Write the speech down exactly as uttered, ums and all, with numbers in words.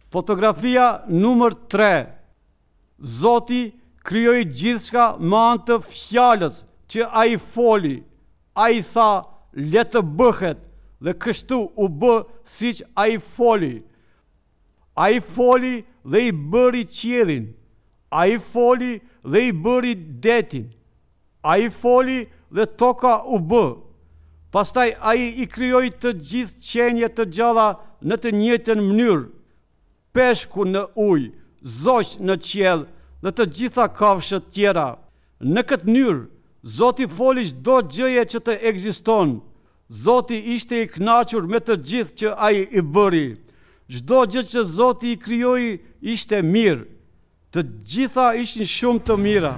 Fotografia numër tre. Zoti krijoi gjithçka me anë të fjalës që ai foli. Ai tha, le të bëhet, dhe kështu u bë siç ai foli. Ai foli dhe i bëri qiellin. Ai foli dhe i bëri detin. Ai foli dhe toka u bë. Pastaj ai i krijoi të gjithë qenie të gjalla në të njëjtën mënyrë. Peshku në ujë, zogj në qiell dhe të gjitha kafshët tjera. Në këtë mënyrë, Zoti foli çdo gjëje që të ekziston. Zoti ishte i kënaqur me të gjithë që ai i bëri. Çdo gjë që Zoti i krijoi ishte mirë. Të gjitha ishin shumë të mira.